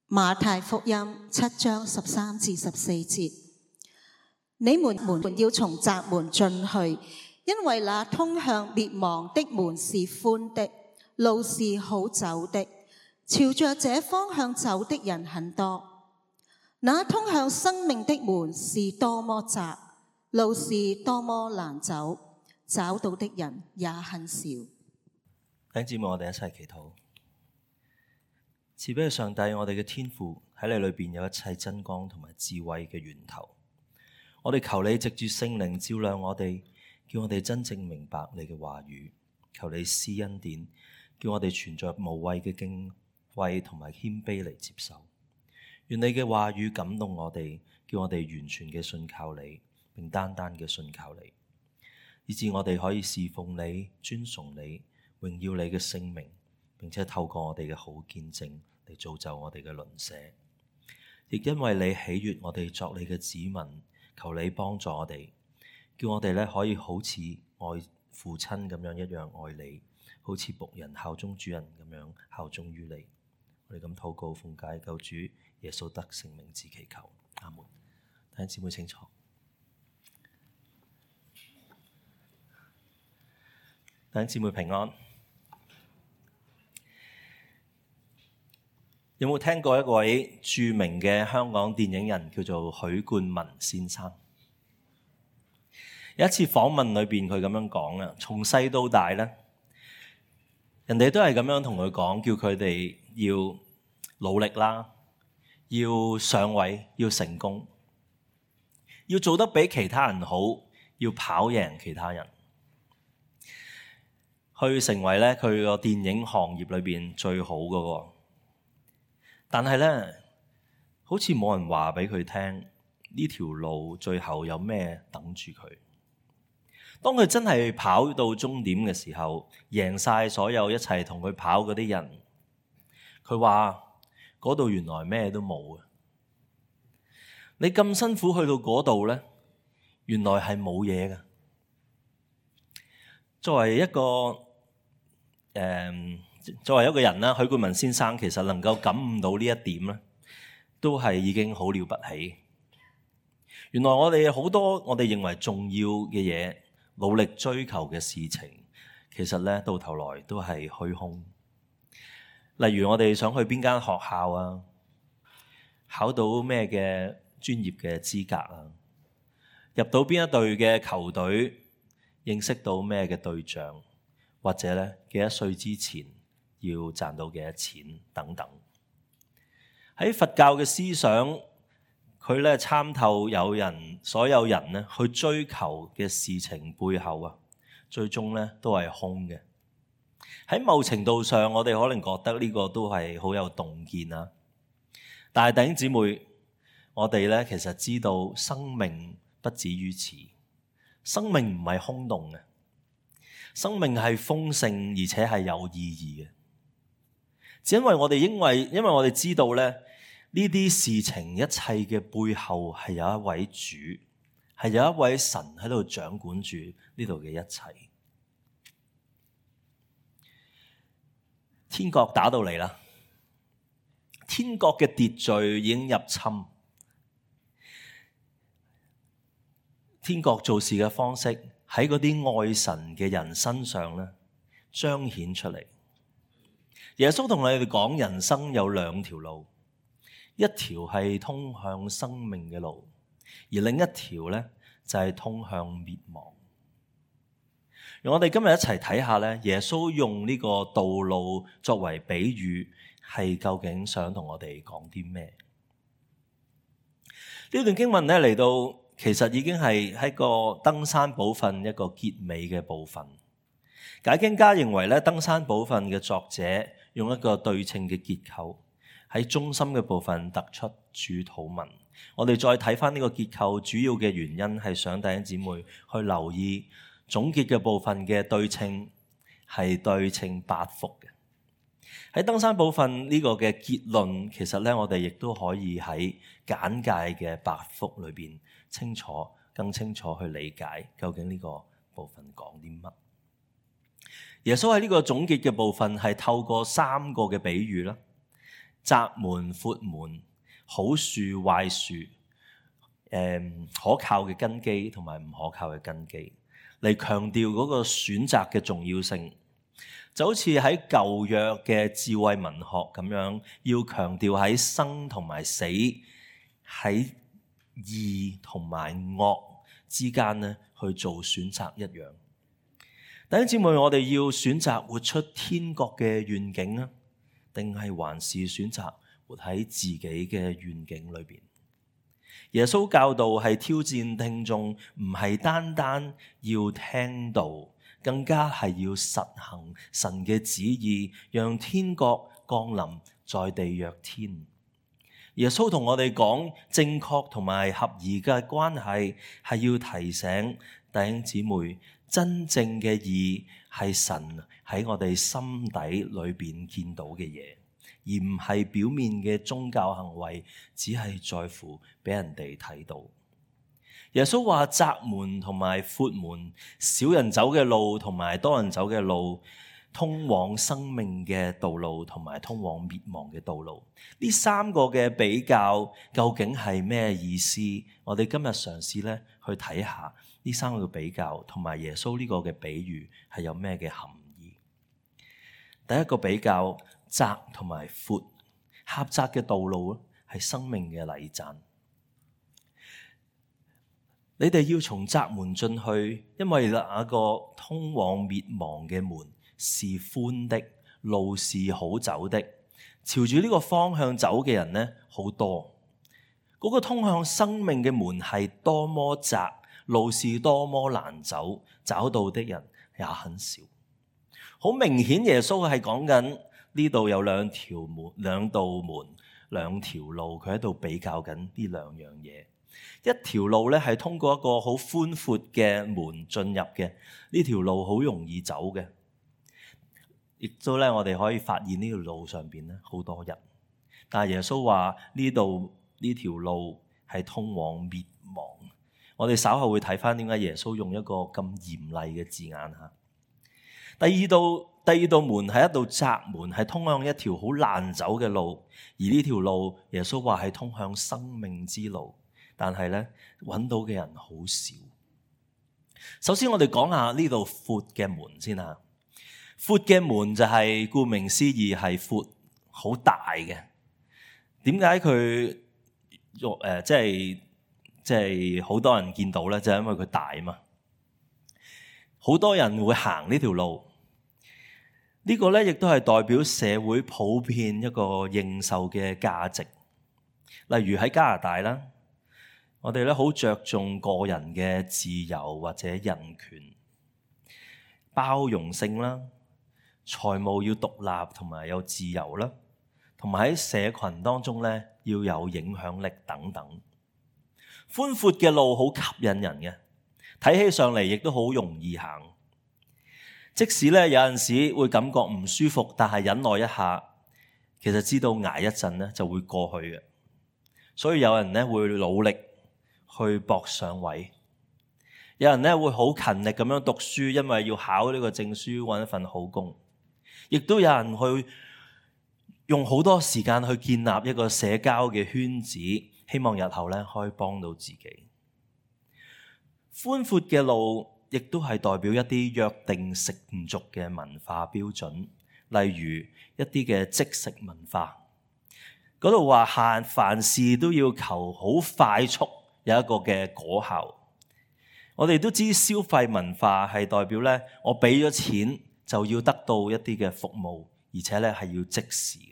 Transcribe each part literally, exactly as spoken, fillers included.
馬太福音七章十三至十四節：你們門要從窄門進去，因為那通向滅亡的門是寬的，路是好走的，朝着這方向走的人很多。那通向生命的門是多麼窄，路是多麼難走，找到的人也很少。弟兄姊妹，我哋一齊祈禱。慈悲嘅上帝，我哋嘅天父喺你裏邊有一切真光同埋智慧嘅源頭。我哋求你藉住聖靈照亮我哋，叫我哋真正明白你嘅話語。求你施恩典，叫我哋存着無畏嘅敬畏同埋謙卑嚟接受。願你嘅話語感動我哋，叫我哋完全嘅信靠你，並單單嘅信靠你，以致我哋可以侍奉你、尊崇你、榮耀你嘅聖名，並且透過我哋嘅好見證嚟造就我哋嘅鄰舍。亦因為你喜悅我哋作你嘅子民，求你幫助我哋，叫我哋咧可以好似愛父親咁樣一樣愛你，好似僕人效忠主人咁樣效忠於你。我哋咁禱告奉解救主耶穌得聖名之祈求，阿門。弟兄姊妹清楚。弟兄姊妹平安。有冇聽過一位著名嘅香港電影人叫做許冠文先生？有一次訪問裏邊佢咁樣講啊，從細到大咧，人哋都係咁樣同佢講，叫佢哋要努力啦，要上位，要成功，要做得比其他人好，要跑贏其他人，去成為咧佢個電影行業裏邊最好嗰個。但係咧，好似冇人話俾佢聽呢條路最後有咩等住佢。當佢真係跑到終點嘅時候，贏晒所有一齊同佢跑嗰啲人，佢話嗰度原來咩都冇啊！你咁辛苦去到嗰度咧，原來係冇嘢㗎。作為一個誒。嗯作為一個人啦，許冠文先生其實能夠感悟到呢一點咧，都係已經好了不起。原來我哋好多我哋認為重要嘅嘢，努力追求嘅事情，其實咧到頭來都係虛空。例如我哋想去邊間學校啊，考到咩嘅專業嘅資格啊，入到邊一隊嘅球隊，認識到咩嘅對象，或者咧幾多歲之前要賺到幾多錢等等。喺佛教嘅思想，佢咧參透有人所有人咧去追求嘅事情背後啊，最終咧都係空嘅。喺某程度上，我哋可能覺得呢個都係好有洞見啊。但係弟兄姊妹，我哋咧其實知道生命不止於此，生命唔係空洞嘅，生命係豐盛而且係有意義嘅。只因為我哋因為因為我哋知道咧，呢啲事情一切嘅背後係有一位主，係有一位神喺度掌管住呢度嘅一切。天國打到嚟啦，天國嘅秩序已經入侵，天國做事嘅方式喺嗰啲愛神嘅人身上咧彰顯出嚟。耶穌同你哋講，人生有兩條路，一條係通向生命嘅路，而另一條咧就係通向滅亡。讓我哋今日一齊睇下咧，耶穌用呢個道路作為比喻，係究竟想同我哋講啲咩？呢段經文咧嚟到，其實已經係喺個登山寶訓一個結尾嘅部分。解經家認為咧，登山寶訓嘅作者用一個對稱嘅結構，喺中心嘅部分突出主禱文。我哋再睇翻呢個結構，主要嘅原因係想弟兄姊妹去留意總結嘅部分嘅對稱係對稱八福嘅。喺登山寶訓呢個嘅結論，其實咧我哋亦都可以喺簡介嘅八福裏邊清楚、更清楚去理解究竟呢個部分講啲乜。耶穌喺呢個總結嘅部分係透過三個嘅比喻啦，窄門闊門、好樹壞樹、誒可靠嘅根基同埋唔可靠嘅根基，嚟強調嗰個選擇嘅重要性。就好似喺舊約嘅智慧文學咁樣，要強調喺生同埋死、喺義同埋惡之間咧去做選擇一樣。弟兄姊妹，我哋要選擇活出天國嘅願景啊，定係還是選擇活喺自己嘅願景裏邊？耶穌教導係挑戰聽眾，唔係單單要聽道，更加係要實行神嘅旨意，讓天國降臨在地若天。耶穌同我哋講正確同埋合宜嘅關係，係要提醒弟兄姊妹，真正嘅義係神喺我哋心底裏邊見到嘅嘢，而唔係表面嘅宗教行為，只係在乎俾人哋睇到。耶穌話窄門同埋闊門，少人走嘅路同埋多人走嘅路，通往生命嘅道路同埋通往滅亡嘅道路，呢三個嘅比較究竟係咩意思？我哋今日嘗試咧去睇下呢三個嘅比較，同埋耶穌呢個嘅比喻係有咩嘅含義。第一個比較，窄同埋闊，狹窄嘅道路咧係生命嘅禮讚。你哋要從窄門進去，因為那個通往滅亡嘅門是寬的，路是好走的，朝住呢個方向走嘅人呢好多。嗰個通向生命嘅門係多麼窄，路是多麼難走，找到的人也很少。好明顯耶穌係講緊呢度有兩條門、兩道門、兩條路，佢喺度比較緊呢兩樣嘢。一條路咧係通過一個好寬闊嘅門進入嘅，呢條路好容易走嘅，亦都咧我哋可以發現呢條路上邊咧好多人。但係耶穌話呢度呢條路係通往滅亡。我哋稍後會睇翻點解耶穌用一個咁嚴厲嘅字眼吓。第二道第二道門係一道窄門，係通向一條好難走嘅路，而呢條路耶穌話係通向生命之路。但係咧，揾到嘅人好少。首先，我哋講下呢度闊嘅門先吓。闊嘅門就係顧名思義係闊，好大嘅。點解佢誒即係即係好多人見到咧？就係因為佢大嘛。好多人會行呢條路。呢個咧亦都係代表社會普遍一個認受嘅價值。例如喺加拿大啦。我哋咧好着重個人嘅自由或者人權、包容性啦，財務要獨立同埋有自由啦，同埋喺社群當中咧要有影響力等等。寬闊嘅路好吸引人嘅，睇起上嚟亦都好容易行。即使咧有陣時會感覺唔舒服，但係忍耐一下，其實知道捱一陣咧就會過去嘅。所以有人咧會努力去搏上位，有人咧會好勤力咁樣讀書，因為要考呢個證書，搵一份好工。亦都有人去用好多時間去建立一個社交嘅圈子，希望日後咧可以幫到自己。寬闊嘅路亦都係代表一啲約定成俗嘅文化標準，例如一啲嘅即食文化。嗰度話限凡事都要求好快速，有一個嘅果效。我哋都知消費文化係代表咧，我俾咗錢就要得到一啲嘅服務，而且咧係要即時嘅。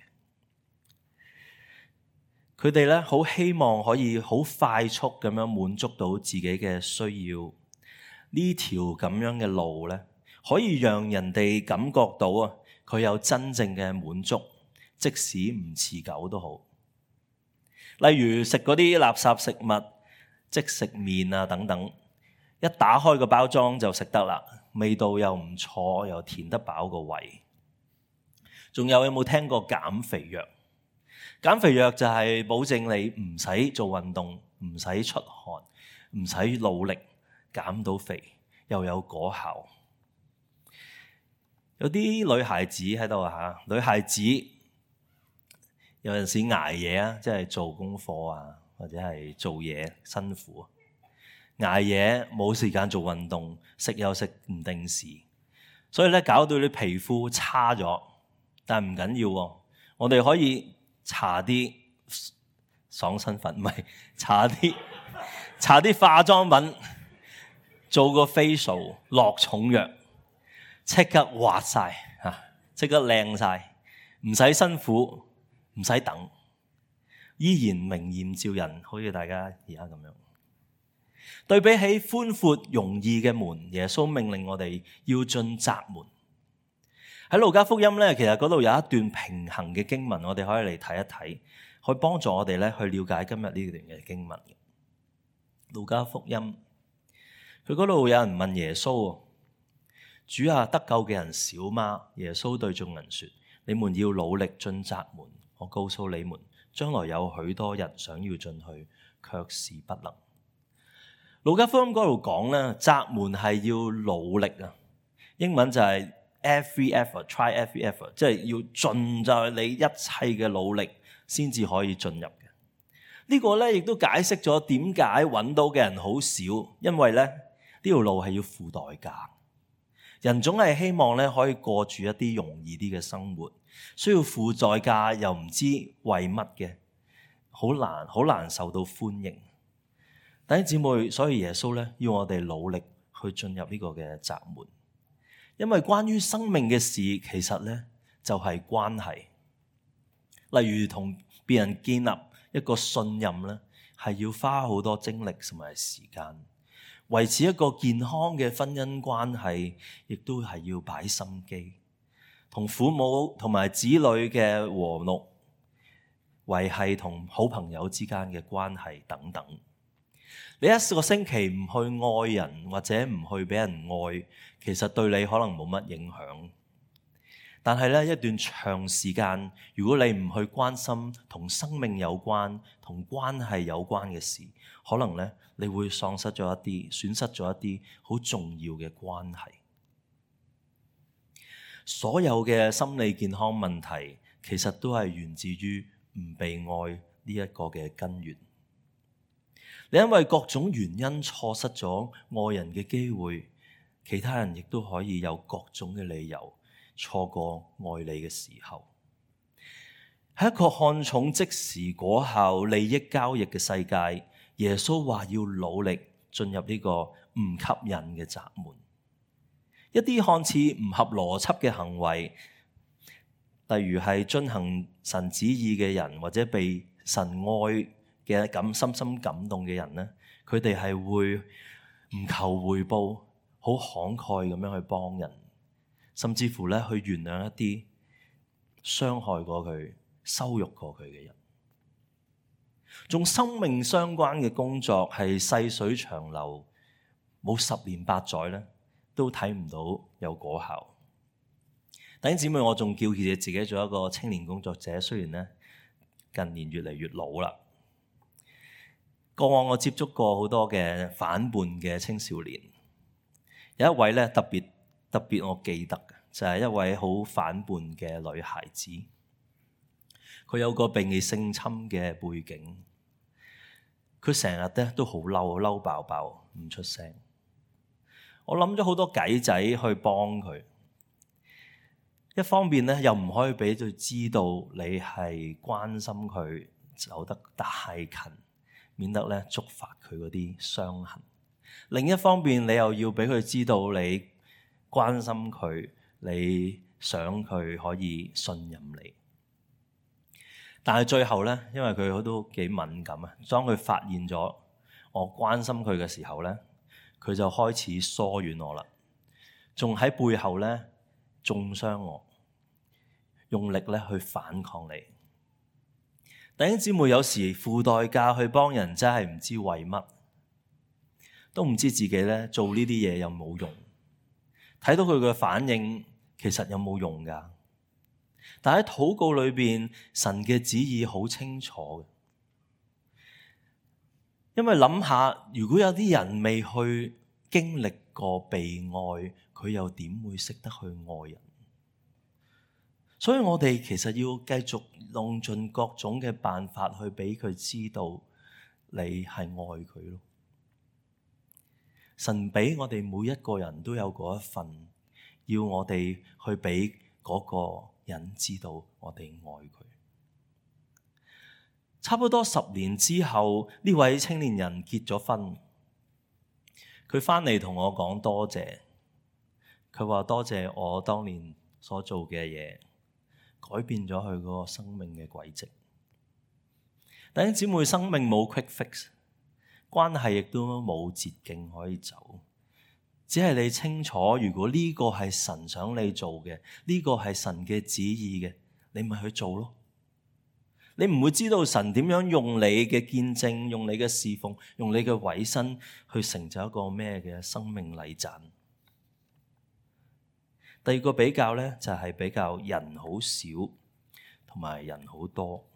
佢哋咧好希望可以好快速咁樣滿足到自己嘅需要。呢條咁樣嘅路咧，可以讓人哋感覺到啊，佢有真正嘅滿足，即使唔持久都好。例如食嗰啲垃圾食物、即食麵啊等等，一打開個包裝就食得啦，味道又唔錯，又填得飽個胃。仲有有冇聽過減肥藥？減肥藥就係保證你唔使做運動，唔使出汗，唔使努力減到肥，又有果效。有啲女孩子喺度吓，女孩子有陣時捱夜啊，即係做功課啊，或者係做嘢辛苦，捱夜冇時間做運動，食又食唔定時，所以咧搞到啲皮膚差咗。但係唔緊要喎，我哋可以搽啲爽身粉，唔係搽啲搽啲化妝品，做個 facial， 落重藥，即刻滑晒嚇，即刻靚晒，唔使辛苦，唔使等，依然明豔照人，好似大家而家咁樣。對比起寬闊容易嘅門，耶穌命令我哋要進窄門。喺路加福音咧，其實嗰度有一段平衡嘅經文，我哋可以嚟睇一睇，可以幫助我哋咧去了解今日呢段嘅經文。路加福音，佢嗰度有人問耶穌：主啊，得救嘅人少嗎？耶穌對眾人說：你們要努力進窄門。我告訴你們，將來有許多人想要進去，卻是不能。路加福音嗰度講咧，窄門係要努力啊，英文就係every effort, try every effort， 即係要盡就係你一切嘅努力先至可以進入嘅。呢個咧亦都解釋咗點解揾到嘅人好少，因為咧呢條路係要付代價。人總係希望咧可以過住一啲容易啲嘅生活，需要付代價又唔知為乜嘅，好難好難受到歡迎。弟兄姊妹，所以耶穌咧要我哋努力去進入呢個嘅窄門。因為關於生命嘅事，其實咧就係關係。例如同別人建立一個信任咧，係要花好多精力同埋時間。維持一個健康嘅婚姻關係，亦都係要擺心機。同父母同埋子女嘅和睦，維繫同好朋友之間嘅關係等等。你一個星期唔去愛人或者唔去俾人愛，其實對你可能冇乜影響。但係咧一段長時間，如果你唔去關心同生命有關、同關係有關嘅事，可能咧你會喪失咗一啲、損失咗一啲好重要嘅關係。所有嘅心理健康問題，其實都係源自於唔被愛呢一個嘅根源。你因為各種原因錯失咗愛人嘅機會，其他人亦都可以有各種嘅理由錯過愛你嘅時候。喺一個看重即時果效、利益交易嘅世界，耶穌話要努力進入呢個唔吸引嘅窄門。一啲看似唔合邏輯嘅行為，例如係遵行神旨意嘅人，或者被神愛嘅感深深感動嘅人咧，佢哋係會唔求回報，好慷慨咁樣去幫人，甚至乎咧去原諒一啲傷害過佢、羞辱過佢嘅人。仲生命相關嘅工作係細水長流，冇十年八載咧都睇唔到有果效。弟兄姊妹，我仲叫佢哋自己做一個青年工作者，雖然咧近年越嚟越老啦。過往我接觸過好多嘅反叛嘅青少年，有一位咧特別特別我記得嘅，就係一位好反叛嘅女孩子。佢有個被性侵嘅背景，佢成日咧都好嬲，嬲爆爆，唔出聲。我諗咗好多計仔去幫佢，一方面咧又唔可以俾佢知道你係關心佢走得太近，免得咧觸發佢嗰啲傷痕。另一方面，你又要俾佢知道你關心佢，你想佢可以信任你。但係最後咧，因為佢都幾敏感啊，當佢發現咗我關心佢嘅時候咧，佢就開始疏遠我啦，仲喺背後咧中傷我，用力咧去反抗你。弟兄姊妹，有時付代價去幫人，真係唔知為乜，都唔知自己咧做呢啲嘢有冇用。睇到佢嘅反應，其實有冇用㗎？但喺禱告裏邊，神嘅旨意好清楚嘅。因為諗下，如果有啲人未去經歷過被愛，佢又點會識得去愛人？所以我哋其實要繼續用盡各種嘅辦法去俾佢知道你係愛佢咯。神俾我哋每一個人都有嗰一份，要我哋去俾嗰個人知道我哋愛佢。差不多十年之後，呢位青年人結咗婚，佢翻嚟同我講多謝，佢話多謝我當年所做嘅嘢，改變咗佢嗰個生命嘅軌跡。弟兄姊妹，生命冇 quick fix， 關係亦都冇捷徑可以走，只係你清楚，如果呢個係神想你做嘅，呢個係神嘅旨意嘅，你咪去做咯。你唔會知道神點樣用你嘅見證，用你嘅侍奉，用你嘅委身去成就一個咩嘅生命禮讚。第二個比較咧，就係比較人好少同埋人好多，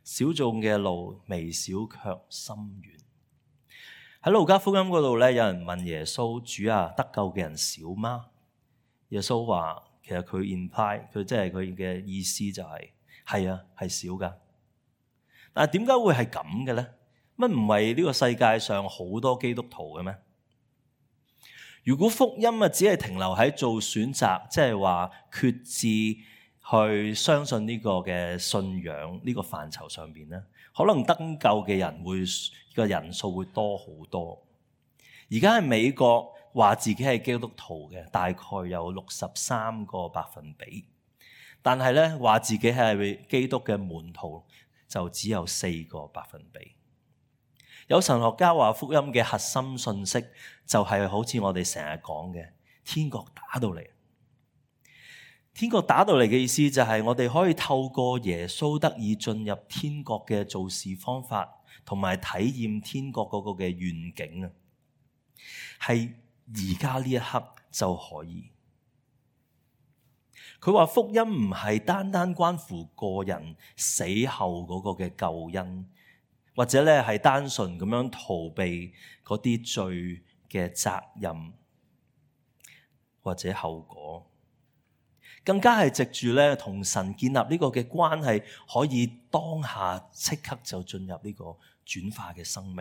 少眾嘅路，微小卻深遠。喺路加福音嗰度咧，有人問耶穌：主啊，得救嘅人少嗎？耶穌話：其實佢 imply 佢即係佢嘅意思就係、是、係啊，係少噶。但係點解會係咁嘅咧？乜唔係呢個世界上好多基督徒嘅咩？如果福音啊只係停留喺做選擇，即係話決志去相信呢個嘅信仰呢個範疇上邊咧，可能得救嘅人會個人數會多好多。而家喺美國話自己係基督徒嘅大概有六十三個百分比，但係咧話自己係基督嘅門徒就只有四個百分比。有神學家話福音嘅核心信息就係好似我哋成日講嘅天國打到嚟。天國打到嚟嘅意思就係我哋可以透過耶穌得以進入天國嘅做事方法，同埋體驗天國嗰個嘅願景啊，係而家呢一刻就可以。佢話福音唔係單單關乎個人死後嗰個嘅救恩，或者咧係單純咁樣逃避嗰啲罪嘅責任或者後果，更加係藉住咧同神建立呢個嘅關係，可以當下即刻就進入呢個轉化嘅生命。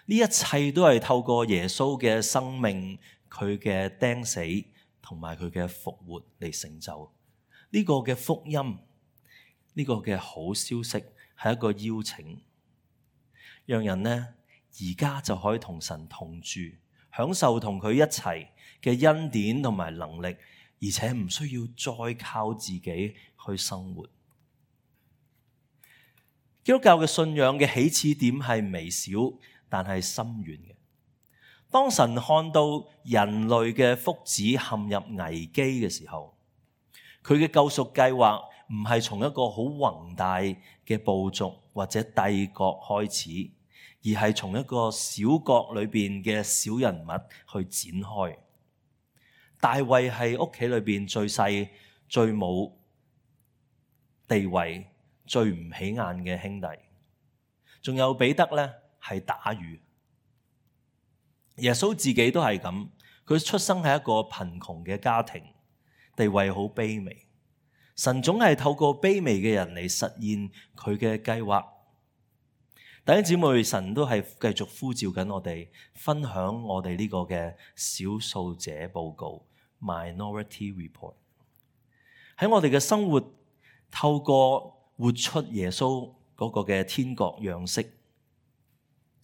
呢一切都係透過耶穌嘅生命，佢嘅釘死同埋佢嘅復活嚟成就。呢個嘅福音，呢個嘅好消息係一個邀請，讓人呢而家就可以同神同住，享受同佢一齊嘅恩典同埋能力，而且唔需要再靠自己去生活。基督教嘅信仰嘅起始點係微小，但係深遠嘅。當神看到人類嘅福祉陷入危機嘅時候，佢嘅救贖計劃唔係從一個好宏大嘅部族或者帝國開始，而係從一個小國裏邊嘅小人物去展開。大衛係屋企裏邊最細、最冇地位、最唔起眼嘅兄弟，仲有彼得咧係打魚。耶穌自己都係咁，佢出生喺一個貧窮嘅家庭，地位好卑微。神總係透過卑微嘅人嚟實現佢嘅計劃。弟兄姊妹，神都係繼續呼召緊我哋，分享我哋呢個嘅少數者報告 （Minority Report）。喺我哋嘅生活，透過活出耶穌嗰個嘅天國樣式，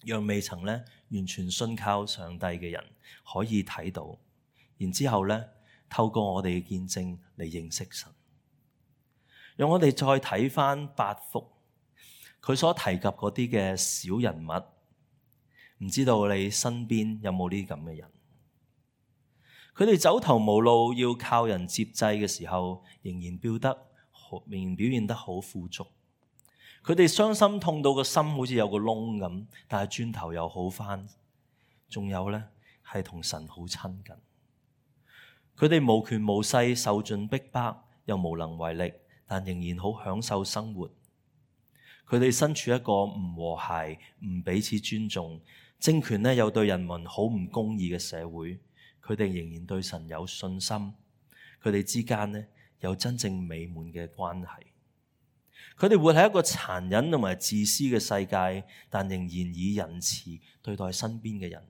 讓未曾咧完全信靠上帝嘅人可以睇到，然之後咧透過我哋嘅見證嚟認識神。讓我哋再睇翻八福，佢所提及嗰啲嘅小人物，唔知道你身邊有冇呢啲咁嘅人？佢哋走投無路，要靠人接濟嘅時候，仍然表得好，仍然表現得好富足。佢哋傷心痛到個心好似有個窿咁，但係轉頭又好翻。仲有咧，係同神好親近。佢哋無權無勢，受盡逼迫，又無能為力，但仍然好享受生活。佢哋身處一個唔和諧、唔彼此尊重、政權咧又對人民好唔公義嘅社會，佢哋仍然對神有信心。佢哋之間咧有真正美滿嘅關係。佢哋活喺一個殘忍同埋自私嘅世界，但仍然以仁慈對待身邊嘅人。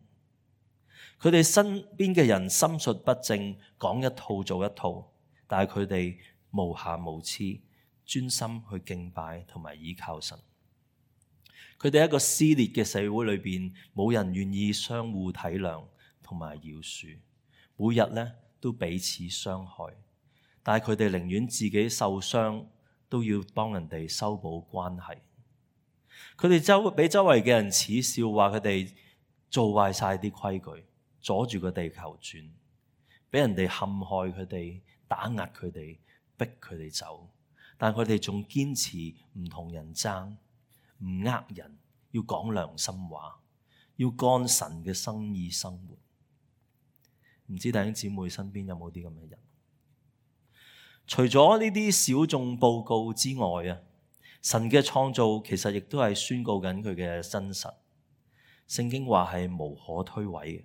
佢哋身邊嘅人心術不正，講一套做一套，但係佢哋無瑕無疵，專心去敬拜同埋倚靠神。佢哋喺一個撕裂嘅社會裏邊，冇人願意相互體諒同埋饒恕，每日咧都彼此傷害，但係佢哋寧願自己受傷，都要幫人哋修補關係。佢哋周俾周圍嘅人恥笑，話佢哋做壞晒啲規矩，阻住個地球轉，俾人哋陷害佢哋，打壓佢哋，逼佢哋走。但佢哋仲堅持唔同人爭，唔呃人，要講良心話，要幹神嘅生意生活。唔知弟兄姊妹身邊有冇啲咁嘅人？除咗呢啲小眾報告之外啊，神嘅創造其實亦都係宣告緊佢嘅真實。聖經話係無可推諉嘅。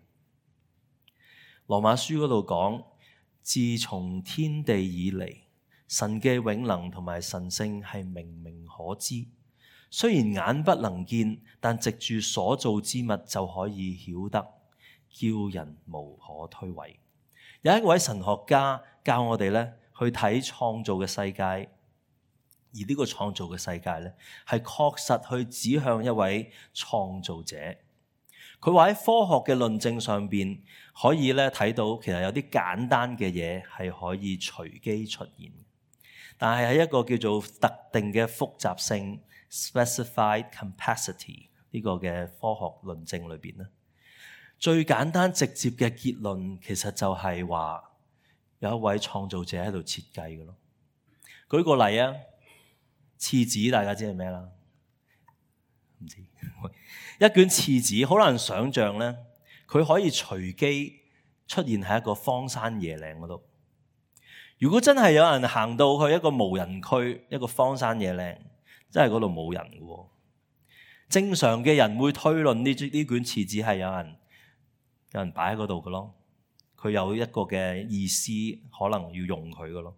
羅馬書嗰度講，自從天地以嚟，神嘅永能同埋神性係明明可知。雖然眼不能見，但藉住所造之物就可以曉得，叫人無可推諉。有一位神學家教我哋咧去睇創造嘅世界，而呢個創造嘅世界咧係確實去指向一位創造者。佢話喺科學嘅論證上邊可以咧睇到，其實有啲簡單嘅嘢係可以隨機出現，但係喺一個叫做特定嘅複雜性 （specified capacity） 呢個嘅科學論證裏邊咧，最簡單直接嘅結論其實就係話有一位創造者喺度設計嘅咯。舉個例啊，廁紙大家知係咩啦？唔知一卷廁紙好難想像咧，佢可以隨機出現喺一個荒山野嶺嗰度。如果真係有人行到去一個無人區，一個荒山野嶺，真係嗰度冇人嘅喎。正常嘅人會推論呢呢卷廁紙係有人有人擺喺嗰度嘅咯，佢有一個嘅意思，可能要用佢嘅咯，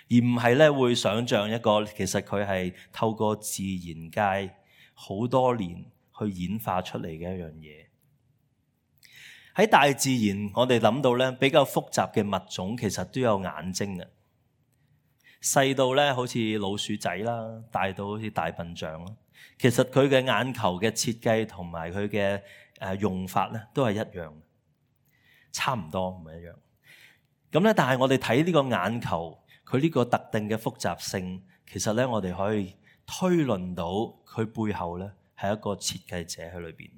而唔係咧會想像一個其實佢係透過自然界好多年去演化出嚟嘅一樣嘢。喺大自然，我哋諗到咧比較複雜嘅物種，其實都有眼睛嘅，細到咧好似老鼠仔啦，大到好似大笨象啦。其實佢嘅眼球嘅設計同埋佢嘅誒用法咧都係一樣，差唔多唔係一樣。咁咧，但係我哋睇呢個眼球，佢呢個特定嘅複雜性，其實咧我哋可以推論到佢背後咧係一個設計者喺裏邊。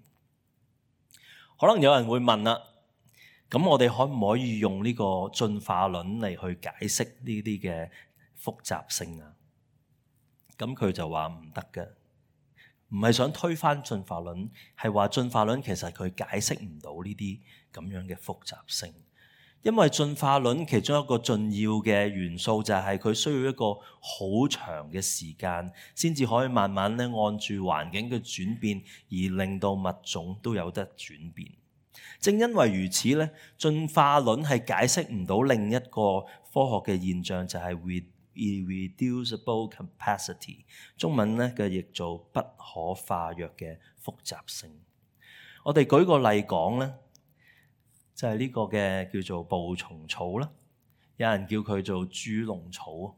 可能有人會問啦，咁我哋可唔可以用呢個進化論嚟去解釋呢啲嘅複雜性啊？咁佢就話唔得嘅，唔係想推翻進化論，係話進化論其實佢解釋唔到呢啲咁樣嘅複雜性。因為進化論其中一個重要嘅元素就係佢需要一個好長嘅時間，先至可以慢慢咧按住環境嘅轉變，而令到物種都有得轉變。正因為如此咧，進化論係解釋唔到另一個科學嘅現象，就係 irreducible capacity， 中文咧嘅譯做不可化約嘅複雜性。我哋舉個例講咧，就係呢個嘅叫做捕蟲草啦，有人叫佢做豬籠草，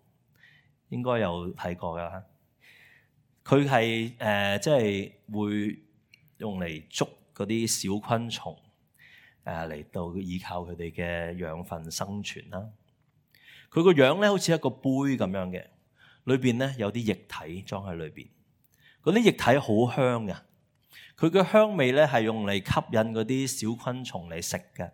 應該有睇過㗎啦。佢係誒即係會用嚟捉嗰啲小昆蟲，誒嚟到依靠佢哋嘅養分生存啦。佢個樣咧好似一個杯咁樣嘅，裏邊咧有啲液體裝喺裏邊，嗰啲液體好香嘅。佢嘅香味咧係用嚟吸引嗰啲小昆蟲嚟食嘅。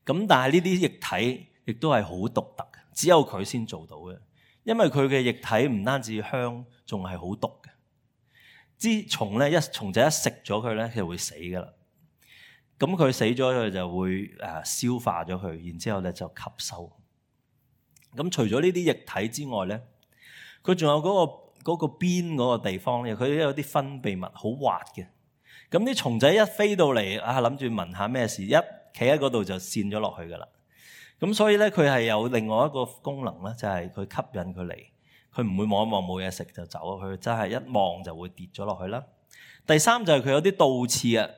咁但係呢啲液體亦都係好獨特嘅，只有佢先做到嘅。因為佢嘅液體唔單止香，仲係好毒嘅。啲蟲咧一蟲仔一食咗佢咧，佢就會死噶啦。咁佢死咗佢就會誒消化咗佢，然之後咧就吸收。咁除咗呢啲液體之外咧，佢仲有嗰個嗰個邊嗰個地方咧，佢有啲分泌物好滑嘅。咁啲蟲仔一飛到嚟啊，諗住聞下咩事，一企喺嗰度就跣咗落去噶啦。咁所以咧，佢係有另外一個功能咧，就係佢吸引佢嚟，佢唔會望一望冇嘢食就走，佢真係一望就會跌咗落去啦。第三就係佢有啲倒刺啊，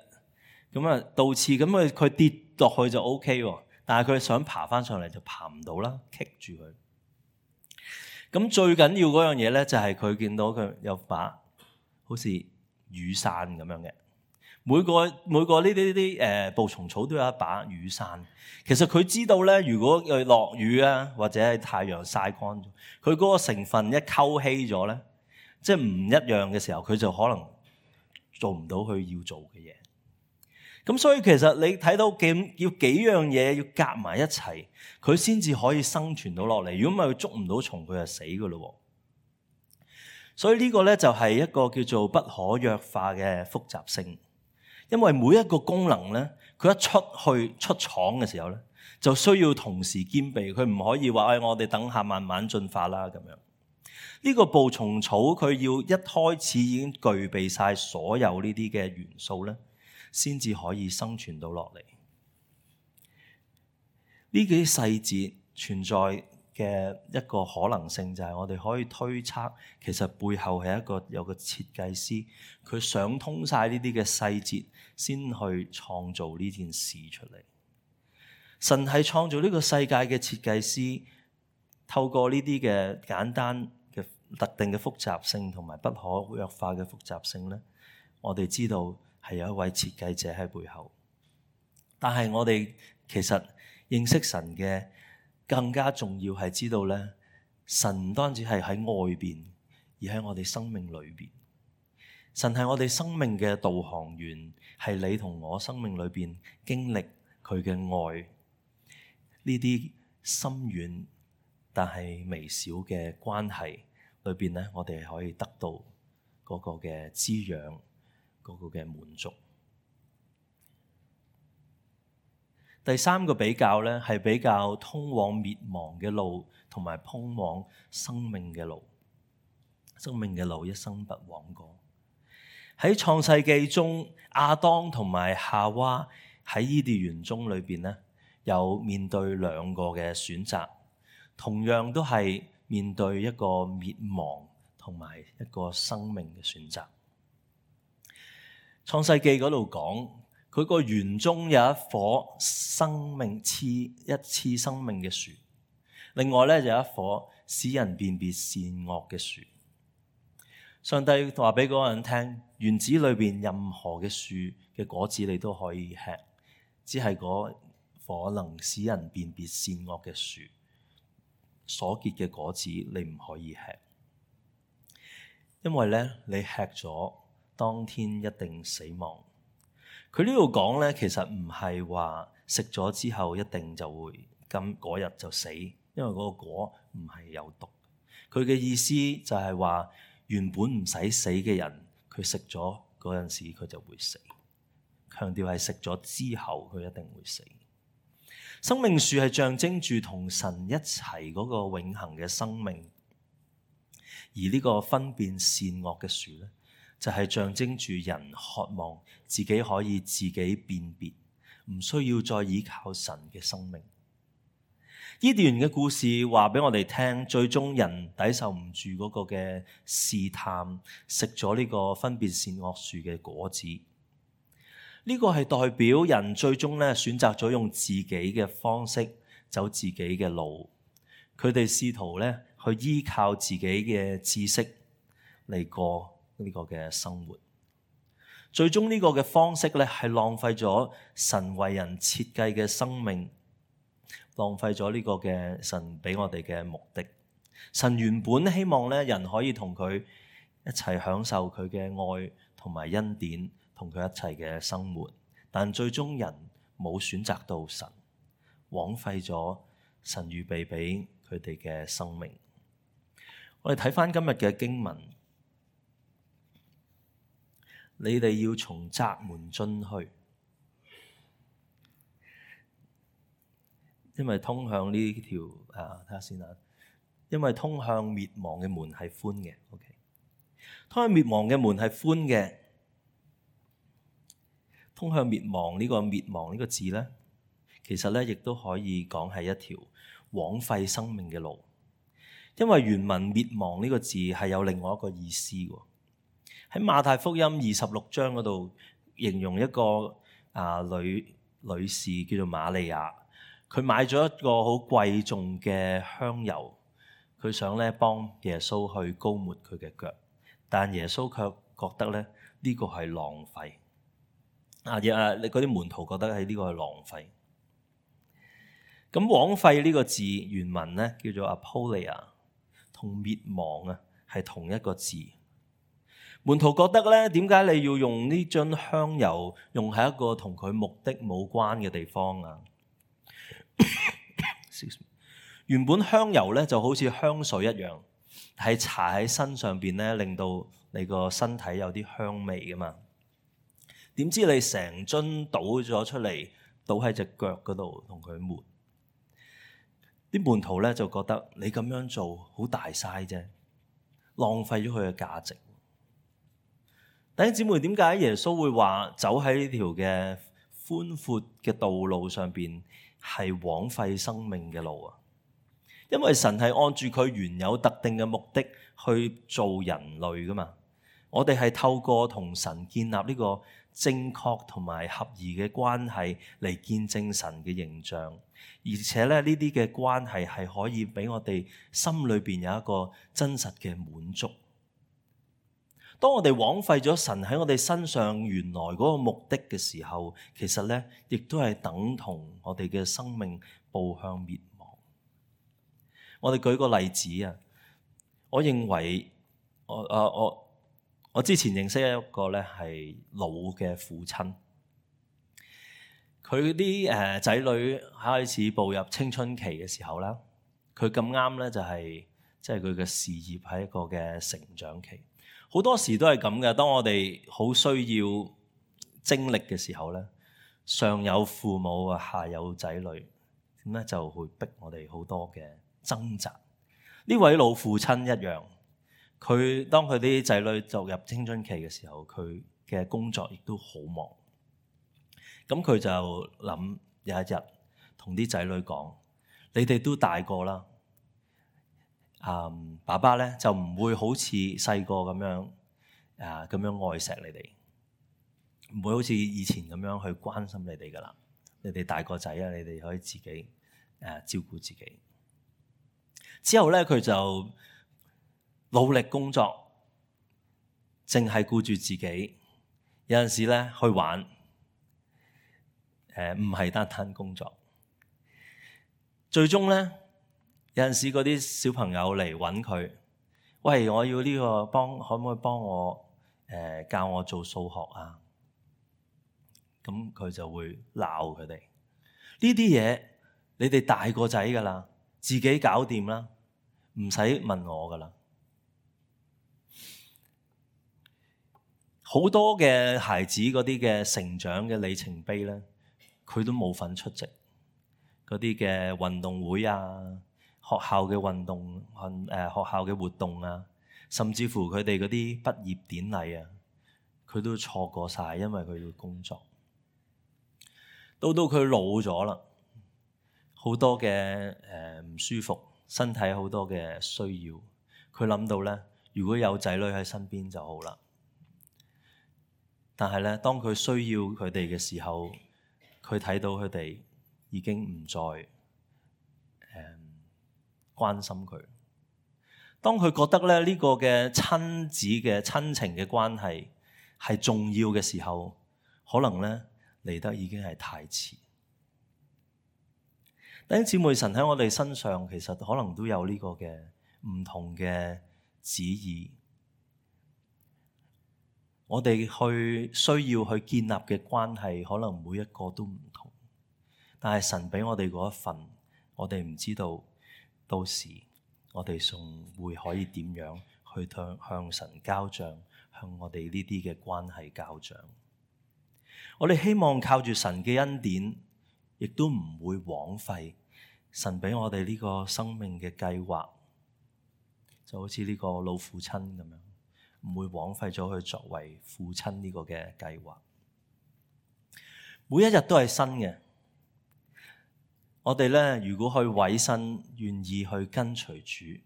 咁啊倒刺，咁佢佢跌落去就 O K 喎，但係佢想爬翻上嚟就爬唔到啦，棘住佢。咁最緊要嗰樣嘢咧，就係佢見到佢有把好似雨傘咁樣嘅。每個每個呢啲啲誒捕蟲草都有一把雨傘。其實佢知道咧，如果佢落雨啊，或者係太陽曬乾咗，佢嗰個成分一溝稀咗咧，即係唔一樣嘅時候，佢就可能做唔到佢要做嘅嘢。咁所以其實你睇到幾要幾樣嘢要夾埋一齊，佢先至可以生存到落嚟。如果唔係，佢捉唔到蟲，佢就死噶咯。所以呢個咧就係一個叫做不可弱化嘅複雜性。因為每一個功能咧，佢一出去出廠嘅時候咧，就需要同時兼備，佢唔可以話誒、哎，我哋等下慢慢進化啦咁樣。呢、這個捕蟲草佢要一開始已經具備晒所有呢啲嘅元素咧，先至可以生存到落嚟。呢啲細節存在嘅一個可能性就係我哋可以推測，其實背後係一個有個設計師，佢想通晒呢啲嘅細節，先去創造呢件事出嚟。神係創造呢個世界嘅設計師，透過呢啲嘅簡單嘅特定嘅複雜性同埋不可弱化嘅複雜性咧，我哋知道係有一位設計者喺背後。但係我哋其實認識神嘅更加重要係知道咧，神唔單止係喺外邊，而喺我哋生命裏邊。神係我哋生命嘅導航員，係你同我生命裏邊經歷佢嘅愛，呢啲深遠但係微小嘅關係裏邊咧，我哋可以得到嗰個嘅滋養，嗰個嘅滿足。第三個比較咧，係比較通往滅亡嘅路同埋通往生命嘅路。生命嘅路一生不枉過。喺創世記中，亞當同埋夏娃喺伊甸園中裏邊咧，有面對兩個嘅選擇，同樣都係面對一個滅亡同埋一個生命嘅選擇。創世記嗰度講，佢個園中有一棵生命賜一賜生命嘅樹，另外咧就有一棵使人辨別善惡嘅樹。上帝話俾嗰個人聽，園子裏邊任何嘅樹嘅果子你都可以吃，只係嗰棵能使人辨別善惡嘅樹所結嘅果子你唔可以吃，因為咧你吃咗當天一定死亡。佢呢度講咧，其實唔係話食咗之後一定就會咁嗰日就死，因為嗰個果唔係有毒。佢嘅意思就係話，原本唔使死嘅人，佢食咗嗰陣時佢就會死。強調係食咗之後佢一定會死。生命樹係象徵住同神一齊嗰個永恆嘅生命，而呢個分辨善惡嘅樹咧，就係象徵住人渴望自己可以自己辨別，唔需要再依靠神嘅生命。伊甸園嘅故事話俾我哋聽，最終人抵受唔住嗰個嘅試探，食咗呢個分別善惡樹嘅果子。呢個係代表人最終咧選擇咗用自己嘅方式走自己嘅路，佢哋試圖咧去依靠自己嘅知識嚟過呢個嘅生活。最終呢個嘅方式咧係浪費咗神為人設計嘅生命，浪費咗呢個嘅神俾我哋嘅目的。神原本希望咧人可以同佢一齊享受佢嘅愛同埋恩典，同佢一齊嘅生活，但最終人冇選擇到神，枉費咗神預備俾佢哋嘅生命。我哋睇返今日嘅經文，你哋要從窄門進去，因為通向呢條啊，睇下先啊，因為通向滅亡嘅門係寬嘅。OK， 通向滅亡嘅門係寬嘅。通向滅亡呢個滅亡呢個字咧，其實咧亦都可以講係一條枉費生命嘅路，因為原文滅亡呢個字係有另外一個意思喎。喺馬太福音二十六章嗰度形容一個啊女女士叫做瑪利亞，佢買咗一個好貴重嘅香油，佢想咧幫耶穌去膏抹佢嘅腳，但耶穌卻覺得咧呢個係浪費。啊！啊！你嗰啲門徒覺得係呢個係浪費。咁枉費呢個字原文咧叫做 apolia， 同滅亡啊係同一個字。門徒覺得咧，點解你要用呢樽香油用喺一個同佢目的冇關嘅地方啊？原本香油咧就好似香水一樣，係搽喺身上邊咧，令到你個身體有啲香味噶嘛。點知你成樽倒咗出嚟，倒喺隻腳嗰度同佢抹。啲門徒咧就覺得你咁樣做好大嘥啫，浪費咗佢嘅價值。弟兄姊妹，點解耶穌會話走喺呢條嘅寬闊嘅道路上邊係枉費生命嘅路啊？因為神係按住佢原有特定嘅目的去做人類噶嘛。我哋係透過同神建立呢個正確同埋合宜嘅關係嚟見證神嘅形象，而且咧呢啲嘅關係係可以俾我哋心裏邊有一個真實嘅滿足。當我哋枉費咗神喺我哋身上原來嗰個目的嘅時候，其實咧亦都係等同我哋嘅生命步向滅亡。我哋舉個例子啊，我認為我啊我。我我之前認識一個咧係老嘅父親，佢啲誒仔女開始步入青春期嘅時候啦，佢咁啱咧就係即係佢嘅事業係一個嘅成長期。好多時都係咁嘅，當我哋好需要精力嘅時候咧，上有父母啊，下有仔女，咁咧就會逼我哋好多嘅掙扎。呢位老父親一樣。佢當佢啲仔女就入青春期嘅時候，佢嘅工作亦都好忙。咁佢就諗有一日同啲仔女講：你哋都大個啦，嗯，爸爸咧就唔會好似細個咁樣啊咁樣愛錫你哋，唔會好似以前咁樣去關心你哋噶啦。你哋大個仔啊，你哋可以自己誒、啊、照顧自己。之後咧，佢就努力工作，淨係顧住自己。有陣時咧去玩，誒唔係單單工作。最終咧，有陣時嗰啲小朋友嚟揾佢，喂，我要呢個幫，可唔可以幫我誒、呃、教我做數學啊？咁佢就會鬧佢哋。呢啲嘢你哋大個仔噶啦，自己搞掂啦，唔使問我噶啦。好多嘅孩子嗰啲嘅成長嘅里程碑咧，佢都冇份出席嗰啲嘅運動會啊，學校嘅運動運誒、呃、學校嘅活動啊，甚至乎佢哋嗰啲畢業典禮啊，佢都錯過晒，因為佢要工作。到到佢老咗啦，好多嘅誒唔舒服，身體好多嘅需要，佢諗到咧，如果有仔女喺身邊就好啦。但係咧，當佢需要佢哋嘅時候，佢睇到佢哋已經唔再誒、嗯、關心佢。當佢覺得咧呢、這個嘅親子嘅親情嘅關係係重要嘅時候，可能咧嚟得已經係太遲。弟兄姊妹，神喺我哋身上其實可能都有呢個嘅唔同嘅旨意。我哋去需要去建立嘅關係，可能每一個都唔同，但係神俾我哋嗰一份，我哋唔知道到時我哋仲會可以點樣去向向神交賬，向我哋呢啲嘅關係交賬。我哋希望靠住神嘅恩典，亦都唔會枉費神俾我哋呢個生命嘅計劃，就好似呢個老父親咁樣。唔會枉費咗佢作為父親呢個嘅計劃。每一日都係新嘅，我哋咧如果去委身，願意去跟隨主，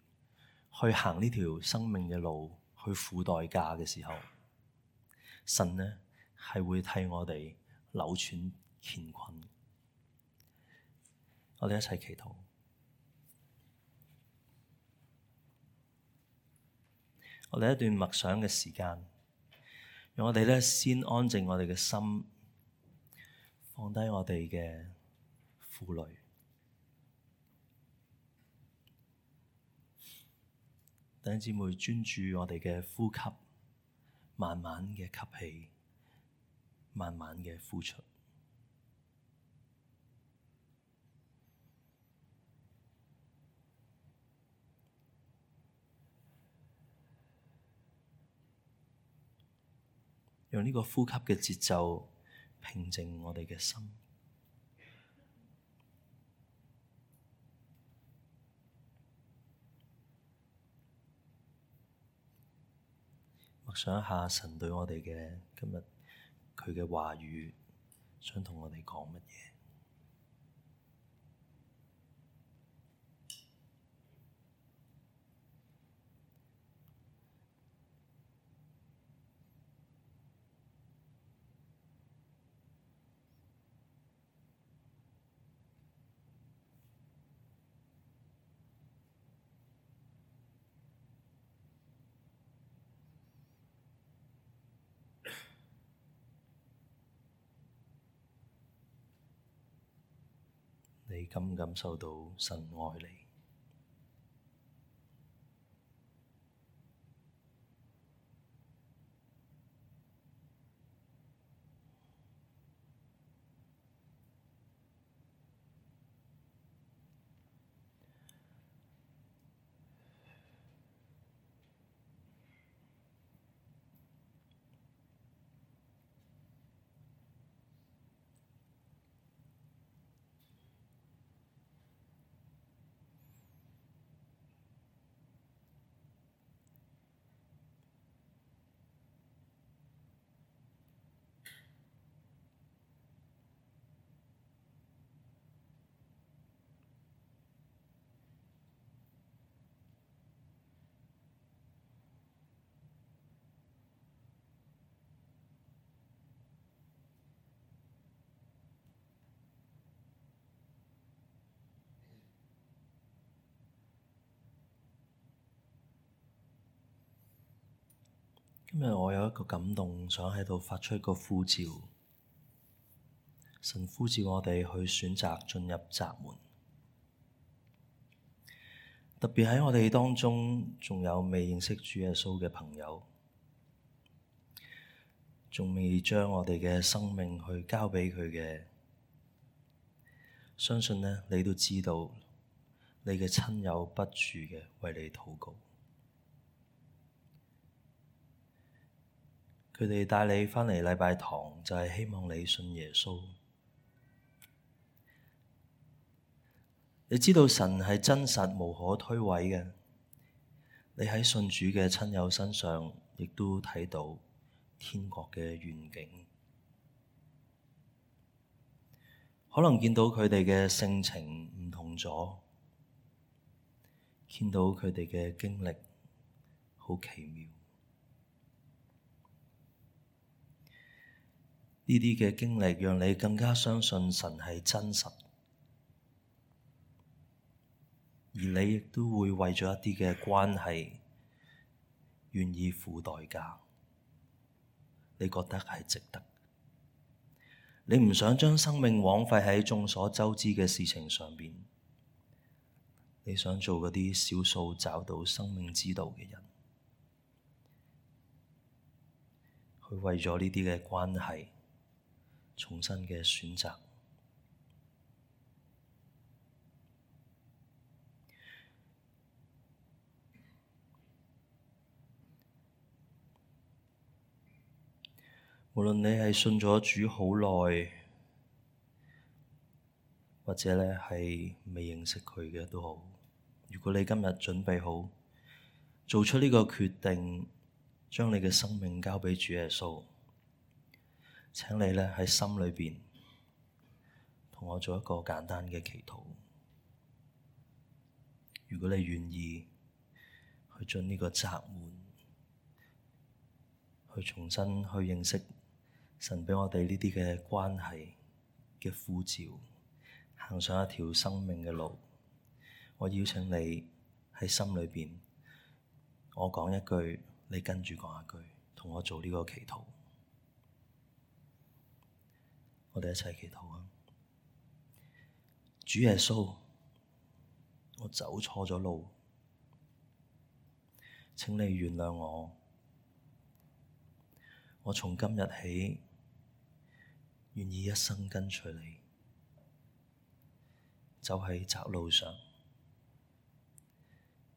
去行呢條生命嘅路，去付代價嘅時候，神咧係會替我哋扭轉乾坤。我哋一齊祈禱。我哋一段默想嘅時間，讓我哋咧先安靜我哋嘅心，放低我哋嘅負累。弟兄姊妹，專注我哋嘅呼吸，慢慢嘅吸氣，慢慢嘅呼出。用呢個呼吸嘅節奏平靜我哋嘅心。默想一下神對我哋嘅今日佢嘅話語，想同我哋講乜嘢？你感唔感受到神愛你？今日我有一個感動，想喺度發出一個呼召。神呼召我哋去選擇進入窄門，特別喺我哋當中仲有未認識主耶穌嘅朋友，仲未將我哋嘅生命去交俾佢嘅，相信呢，你都知道，你嘅親友不住嘅為你禱告。佢哋帶你返嚟禮拜堂，就係希望你信耶穌。你知道神係真實無可推諉嘅，你喺信主嘅親友身上，亦都睇到天國嘅願景。可能見到佢哋嘅性情唔同咗，見到佢哋嘅經歷好奇妙。呢啲嘅經歷讓你更加相信神係真實，而你亦都會為咗一啲嘅關係願意付代價，你覺得係值得。你唔想將生命枉費喺眾所周知嘅事情上邊，你想做嗰啲少數找到生命之道嘅人，去為咗呢啲嘅關係重新嘅選擇。無論你係信咗主好耐，或者咧係未認識佢嘅都好，如果你今日準備好做出呢個決定，將你嘅生命交俾主耶穌，請你咧喺心裏邊同我做一個簡單嘅祈禱。如果你願意去進呢個窄門，去重新去認識神畀我哋呢啲嘅關係嘅呼召，行上一條生命嘅路，我邀請你喺心裏邊，我講一句，你跟住講一句，同我做呢個祈禱。我哋一齊祈禱啊！主耶穌，我走錯咗路，請你原諒我。我從今日起，願意一生跟隨你，走喺窄路上。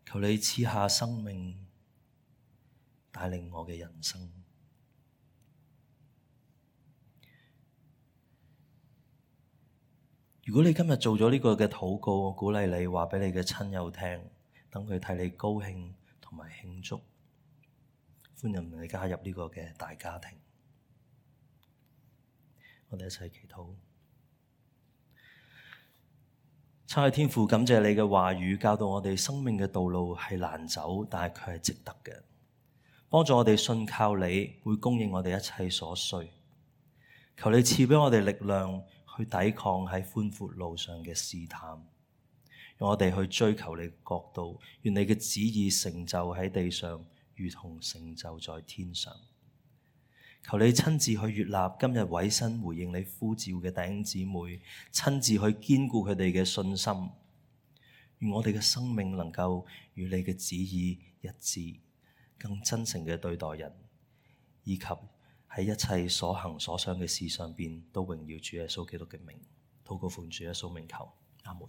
求你賜下生命，帶領我嘅人生。如果你今日做咗呢個嘅禱告，我鼓勵你話畀你嘅親友聽，等佢替你高興同埋慶祝。歡迎你加入呢個嘅大家庭，我哋一齊祈禱。親愛天父，感謝你嘅話語教導我哋生命嘅道路係難走，但係佢係值得嘅。幫助我哋信靠你，會供應我哋一切所需。求你賜畀我哋力量去抵抗喺寬闊路上嘅試探，讓我哋去追求你嘅國度，願你嘅旨意成就喺地上，如同成就在天上。求你親自去悅納今日委身回應你呼召嘅弟兄姊妹，親自去堅固佢哋嘅信心。願我哋嘅生命能夠與你嘅旨意一致，更真誠嘅對待人，以及喺一切所行所想嘅事上邊都榮耀主耶穌基督嘅名。禱告奉主耶穌名求，阿門。